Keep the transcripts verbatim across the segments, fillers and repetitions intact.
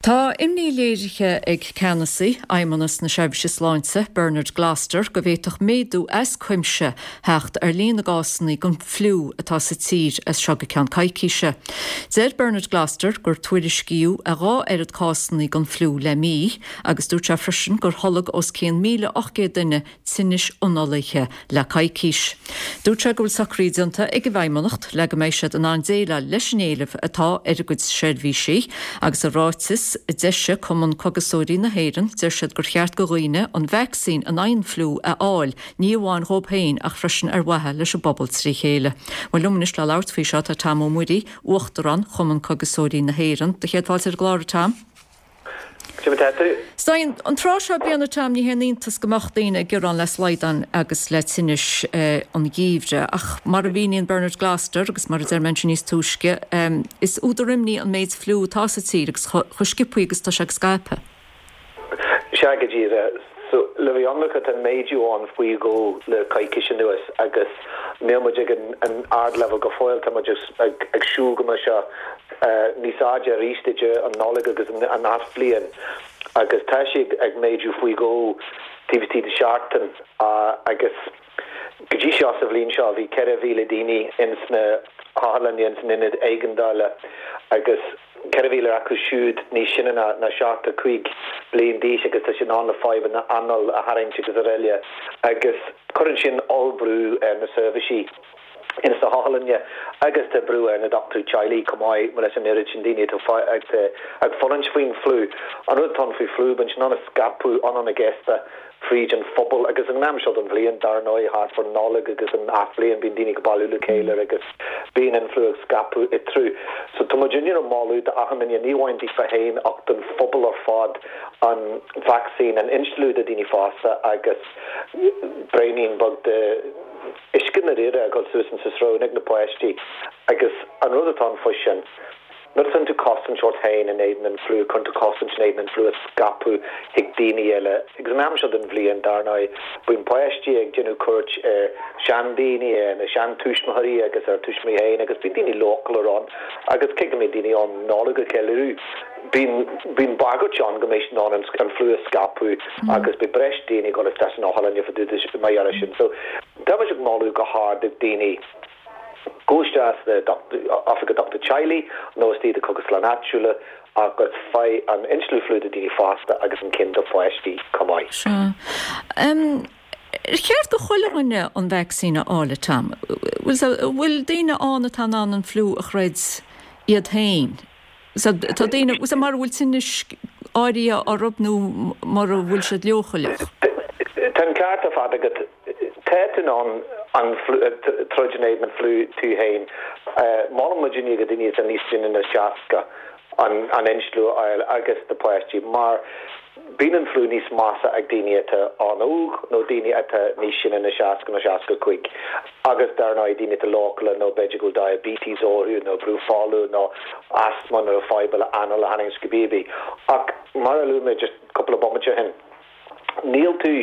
Tá imní léirithe ag ceannasaí Fheidhmeannas na Seirbhíse Sláinte Bernard Gloster go bhféadfadh méadú as cuimse theacht ar líon na gcásanna den fhliú atá sa tír as seo go ceann coicíse. Deir Bernard Gloster gur tuairiscíodh a dhá oiread cásanna den fhliú le mí agus dúirt sé freisin gur tholg os cionn míle ocht gcéad duine tinnis ionfhabhtaithe le coicís. Dúirt sé go bhfuil socruithe déanta ag an bhFeidhmeannacht le go mbeidh siad in ann déileáil leis an éileamh atá ar a gcuid seirbhísí agus i ráiteas a d'eisigh Cumann Cógaiseoirí na hÉireann deir siad gur cheart do dhaoine an vacsaín in aghaidh an fhliú a fháil, ní amháin dóibh féin ach freisin ar mhaithe leis an bpobal trí chéile. Well liom anois le labhairt faoi seo tá Tom Ó Muirí, Uachtarán Chumann Cógaiseoirí na hÉireann. Do chéad fáilte ar an gclár Tom. Stein, an tráth seo bliana Tom ní haon iontas go mbeadh daoine ag gearán le slaghdán agus le tinnis eh, an gheimhridh ach mar a mhíníonn Bernard Gloster agus mar a deir mé níos túisce um, is údar imní an méid fliú atá sa tír agus chomh sciobtha agus tá sé ag scaipeadh. Sea go díreach so le bhí ancha an méadú ann faoi dhó le coicís anuas agus níl muid ag an, an ardleibhéal go fóill tá muid ag, ag siúl go mbeidh sé uh, níos airde arís idir an Nollaig agus an, an athbhliain agus tá sé ag méadú faoi dhó taobh istigh de seachtain uh, agus go dtí seo sa bhliain seo bhí ceithre mhíle daoine ins na hotharlanna ins an ionad éigeandála agus ceithre mhíle acu siúd níos sine ná ná seachtó cúig bliain d'aois agus tá sin ann le fadhbanna anáil a tharraingt agus araile agus cuireann sin ollbhrú ar na seirbhísí ins na hotharlanna agus tá brú ar na dochtúirí teaghlaigh chomh maith leis an oiread sin daoine atá ag ag fulaingt faoin fliú. An rud atá faoi fliú bíonn sin ag scaipeadh ann go gasta fríd an phobal agus an am seo den bhliain dar ndóigh thart fán Nollaig agus an athbhliain bíonn daoine ag bailiú le chéile agus bíonn an fliú ag scaipeadh i trú. So tá muid ag moladh d'achan duine ní amháin daofa féin ach don phobal ar fad an vacsaín an instealladh do daoine fásta agus braoinín beag de uisce na ríre a chur suas insa srón ag na páistí agus an rud atá ann faoi sin. Nuair a tú cosaint ort féin in éadan an fliú chun tú cosaint in éadan an fliú a scaipeadh chuig daoine eile. Agus an am seo den bhliain dar ndóigh bíonn páistí ag déanamh cuairt ar seandaoine ar na seantuismitheoirí agus ar tuismitheoirí féin agus bíonn daoine leochaileach ann agus cé go mbíonn daoine ann Nollaig a cheiliúradh. Bíonn bíonn bagairt ann go mbeidh an an fliú a scaipeadh agus beidh breis daoine go isteach san otharlann mar gheall sin. So tá ag moladh go hard ag daoine gabh isteach oifig dochtúir teaghlaigh nó istigh do chógaslann áitiúla agus faigh an instealladh fliú do daoine fásta agus an ceann do pháistí chomh maith. Um, Cheart do chuile dhuine an vacsaín a fháil Tom. Bhfuil daoine ann atá in ann an fliú a throid iad féin. So, tá daoine mar bhfuil tinnis áirithe orthu nó mar a bhfuil siad leochaileach. Tá an ceart ar fad agat tá tú in ann an troid in éadan an fliú tú féin. Molann muid go daoine atá níos sine ná seasca an an instealladh a fháil agus na páistí mar bíonn an fliú níos measa ag daoine atá an-óg nó daoine atá níos sine ná seasca nó seasca cúig. agus dar ndóigh daoine atá leochaileach nó b'fhéidir go diabetes orthu nó brú fola nó asthma nó fadhb le anáil a tharraingt go bíbí. Ach mar a luaigh mé just cúpla bomaite ó shin. Níl tú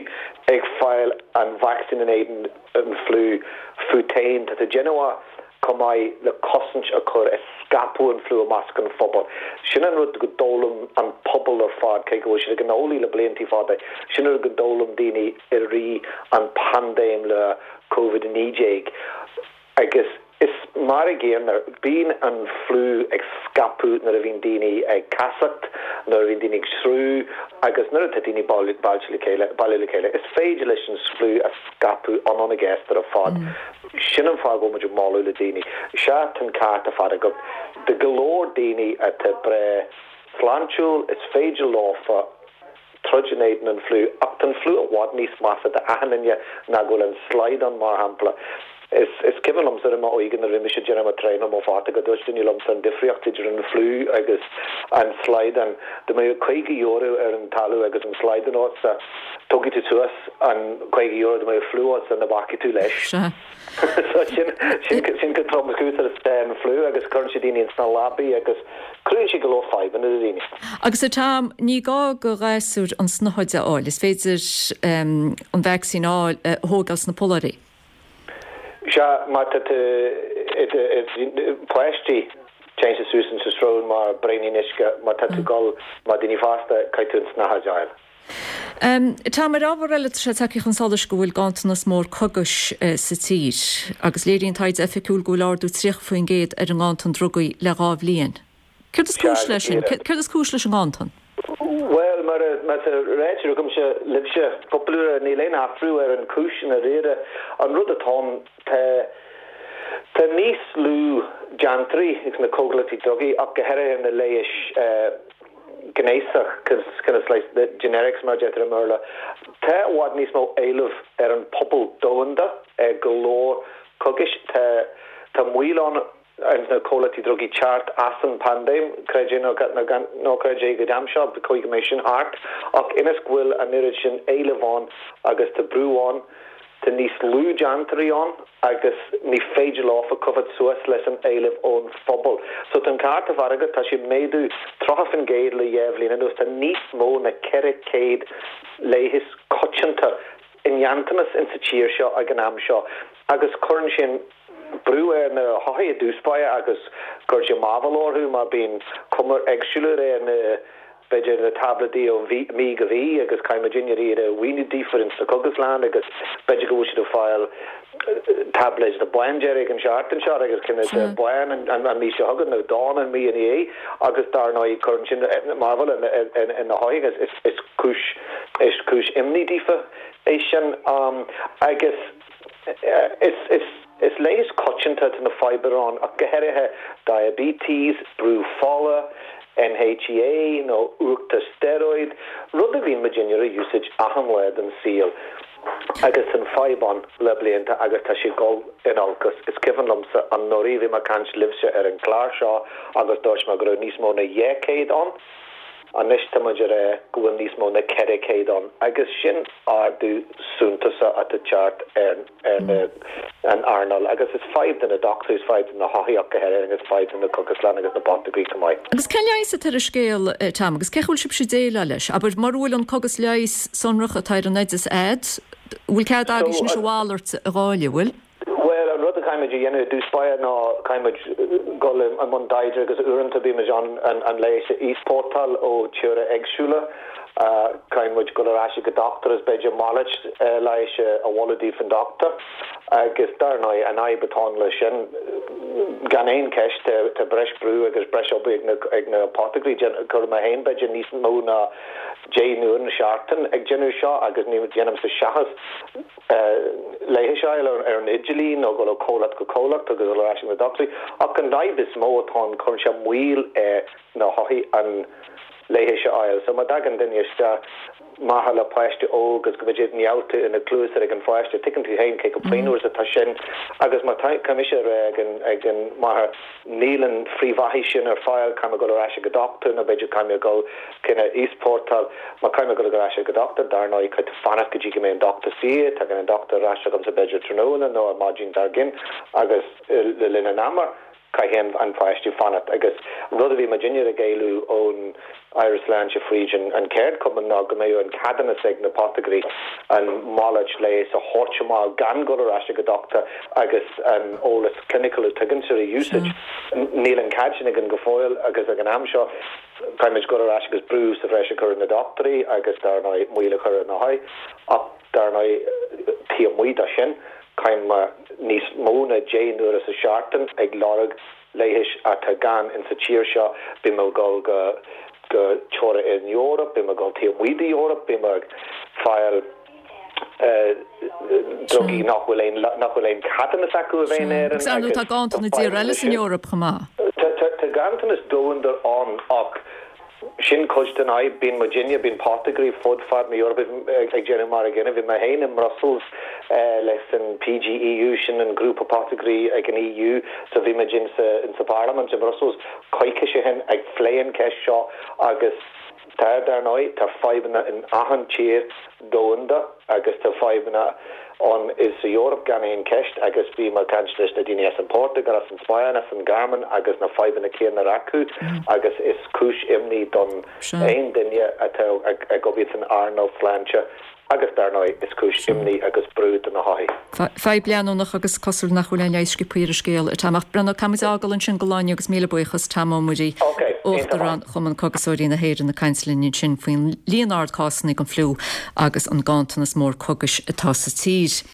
ag fáil an vacsaín in éadan an fliú fút féin tá tú déanamh chomh maith le cosaint a chur ar scaipeadh an fliú i measc an phobal. Sin an rud go d'fhoghlaim an pobal ar fad cé go bhfuil siad ag an eolaí le blianta fada, sin rud go d'fhoghlaim daoine i rith an paindéim le COVID naoi déag. Agus is mar a gcéanna bíonn an fliú ag scaipeadh nuair a bhíonn daoine ag casacht, nuair a bhíonn daoine ag srú agus nuair atá daoine bailte le chéile baile le chéile. Is féidir leis an fliú a scaipeadh an an gasta ar fad. Mm. Sin an fáth go bhfuil muid ag moladh le daoine. Sea an ceart ar fad agat de go leor daoine atá breá sláintiúil is féidir leofa troid in éadan an fliú ach an fliú i bhfad níos measa d'achan duine ná go bhfuil an slaghdán mar shampla. Is is cuimhin liomsa i m'óige nuair a bhí mise ag déanamh mo traenáil mo fata go dúirt duine liomsa an difríocht idir an fliú agus an slaghdán. Dá mbeadh caoga euro ar an talamh agus an slaghdán agatsa tógfaidh tú suas an caoga euro dá mbeadh fliú agatsa ní bhacfaidh tú leis. So sin sin sin go tromchúiseach an fliú agus cuireann sé daoine sna leabaí agus cruthaíonn sé go leor fadhbanna do daoine. Agus atá ní gá do ghasúir an snáthaid a fháil, is féidir um, an vacsaín a fháil a thógáil sna polláirí. Sea má tá páistí Téann sé suas insa srón mar braoinín uisce má tá tú gol mar duine fásta caithfidh tú an snáthaid a fháil. Um, tá mar ábhar eile sé tagtha chun solais go bhfuil ganntanas mór cogais uh, sa tír, agus léiríonn taighde oifigiúil go bhfuil ardú tríocha faoin gcéad ar an nganntan drugaí le dhá bhliain. Céard is cúis leis sin? Céard is cúis leis an nganntan? Well mar mar réir agamsa libhse cúpla uair níl aon athrú ar an cúis i ndáiríre an rud atá tá tá níos lú déantóirí ag na comhlachtaí drugaí ach go háirithe na leighis uh, gnéasach kind the generics mar deirtear i mBéarla. Tá i bhfad níos mó éileamh ar an pobal domhanda ag go leor cogais tá tá moill ann ar na comhlachtaí drugaí teacht as an pandéim creid é nó ná creid é go dam seo go go méid sin thart ach ionas go bhfuil an oiread sin éileamh ann agus tá brú ann tá níos lú déantóirí ann agus ní féidir leofa coimhéad suas leis an éileamh ón phobal. So tá ceart a bheith agat tá sé méadú tríocha faoin gcéad le dhá bhliain anuas tá níos mó ná ceithre chéad leigheas coitianta i nganntanas in sa tír seo ag an am seo agus cuireann sin brú ar na hothair i dtús báire agus cuireann sé mearbhall orthu mar bíonn cuma éagsúil ar na b'fhéidir na tabletí ó mí go mí agus caithfidh muid iad a mhíniú daofa sa chógaslann agus b'fhéidir go bhfuil siad ag fáil tablet de bándearg an seachtain seo agus cinn de bán an an mí seo chugainn nó donn an mí ina dhiaidh agus dar ndóigh cuireann sin mearbhall ar na hothair is is cúis is cúis imní daofa é sin um, agus is is is leigheas coitianta na fadhbanna ann ach go háirithe diabetes, brú fola, NHEA nó uachtar steroid, rud a bhíonn muid a úsáid achan lá den saol. agus an fadhb ann le blianta agus tá sé dul in olcas. Is cuimhin liomsa anuraidh bhí mé ag caint libhse ar an chlár seo agus dúirt mé go raibh níos mó ná dhá chéad ann. Anois tá muid ag rá go bhfuil níos mó ná ceithre chéad ann agus sin ardú suntasach atá teacht ar ar na an earnáil agus is fadhb do na dochtúirí is fadhb do na hothair go háirithe agus fadhb do na cógaslanna agus na botagaí go maith. Agus cén leigheas atá ar an scéal eh, Tom agus cé bhfuil sibh ag déileáil leis, Aber mar bhfuil an cogas leighis sonrach atá ar an oideas agat, bhfuil cead agaibh anois a mhalairt a fháil bhfuil? Well an rud a chaithfimid a dhéanamh i dtús báire ná caithfimid dul i mbun taighde agus uaireanta bímid an an, an leigheas a easpórtáil ó tíortha éagsúla. Uh, caithfimid dul ar ais go dochtúir is b'fhéidir malairt uh, leighis a mholadh daofa an dochtúir agus dar ndóigh an fhadhb atá le sin gan aon cheist tá breis brú agus breis obair ag na ag na apothecairí cuir mé féin b'fhéidir níos mó ná deich n-uair sa seachtain ag déanamh seo agus ní dhéanaim sa seachas leigheas a fháil ar an idirlíon nó go comhlacht go comhlacht agus ar ais na dochtúirí ach an fhadhb is mó atá cuireann sé moill ar na hothair an leigheas a fháil. So má thagann duine isteach maithe le páiste óg agus go bhfuil néalta ina cluas ag an pháiste tuigeann tú féin cé chomh pianmhar atá sin agus má caithfidh mé ag an ag an máthair níl an phríomh sin ar fáil caithfidh mé dul ar ais go dochtúir nó b'fhéidir caithfidh mé dul cinn easpórtáil má caithfidh mé dul ar ais go dochtúir dar ndóigh caithfidh fanacht go dtí go mbeidh an dochtúir saor tagann an dochtúir ar ais agam sa b'fhéidir tráthnóna nó ar maidin dár gcionn agus le linn an ama caithfidh an pháiste fanacht agus rud a bhí muidinne ag éileamh ón Aire Sláinte fríd an, an ceardchumann ná go mbeadh an ceadúnas ag na apothecairí an malairt leighis a thabhairt amach gan dul ar ais go dochtúir agus an eolas clinical a tugann a úsáid. Níl an cead sin againn go fóill agus ag an am seo caithfimid dul ar ais agus brú sa bhreis a chur na dochtúirí agus dar ndóigh moill a chur na hothair ach dar ndóigh taobh amuigh de sin caithfidh níos mó ná deich n-uair sa seachtain ag lorg leighis atá gann in sa tír seo bí mo go go go tíortha in Eoraip, bí go tí muidí Eorp, bí fáil drugaí nach bhfuil aon nach bhfuil aon ceadúnas acu a bheith ar an tá ganntanas i dtír eile san Eoraip chomh maith. Tá ganntanas domhanda ann ach sin cuid den fhadhb bíonn muidinne bíonn apothecairí fud fad na hEorpa ag déanamh mar a gcéanna bhí mé féin i Brussels leis an PGEU sin an grúpa apothecairí ag an EU so bhí muid in sa in sa Parliament in Brussels coicís ó shin ag plé an ceist seo agus tá dar ndóigh tá fadhbanna in achan tír domhanda agus tá fadhbanna ann is sa Eoraip gan aon cheist agus bhí mé ag caint leis na daoine as an Portugal, as an Spáinn, as an Ghearmáin agus na fadhbanna céanna acu agus is cúis imní don aon duine atá ag obair san earnáil sláinte agus dar ndóigh is cúis imní agus brú do na hothair. Fadhb leanúnach agus cosúil nach bhfuil aon leigheas sciobtha ar an scéal atá amach. Breandán, caithfimid é a fhágáil ansin don lá inniu agus míle buíochas Tom Ó Muirí, Uachtarán Chumann Cógaiseoirí na hÉireann ag caint linn ansin faoin líon ard cásanna den fhliú agus an ganntanas mór cógais atá sa tír.